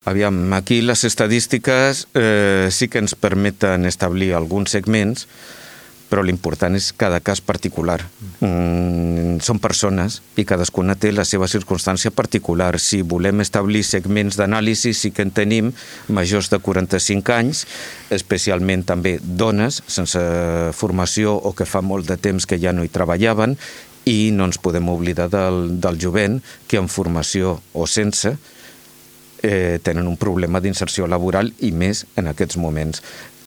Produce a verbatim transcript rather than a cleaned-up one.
Aviam, aquí les estadístiques eh, sí que ens permeten establir alguns segments, però l'important és cada cas particular. Mm, són persones i cadascuna té la seva circumstància particular. Si volem establir segments d'anàlisi, sí que en tenim majors de quaranta-cinc anys, especialment també dones sense formació o que fa molt de temps que ja no hi treballaven, i no ens podem oblidar del, del jovent que amb formació o sense eh, tenen un problema d'inserció laboral i més en aquests moments.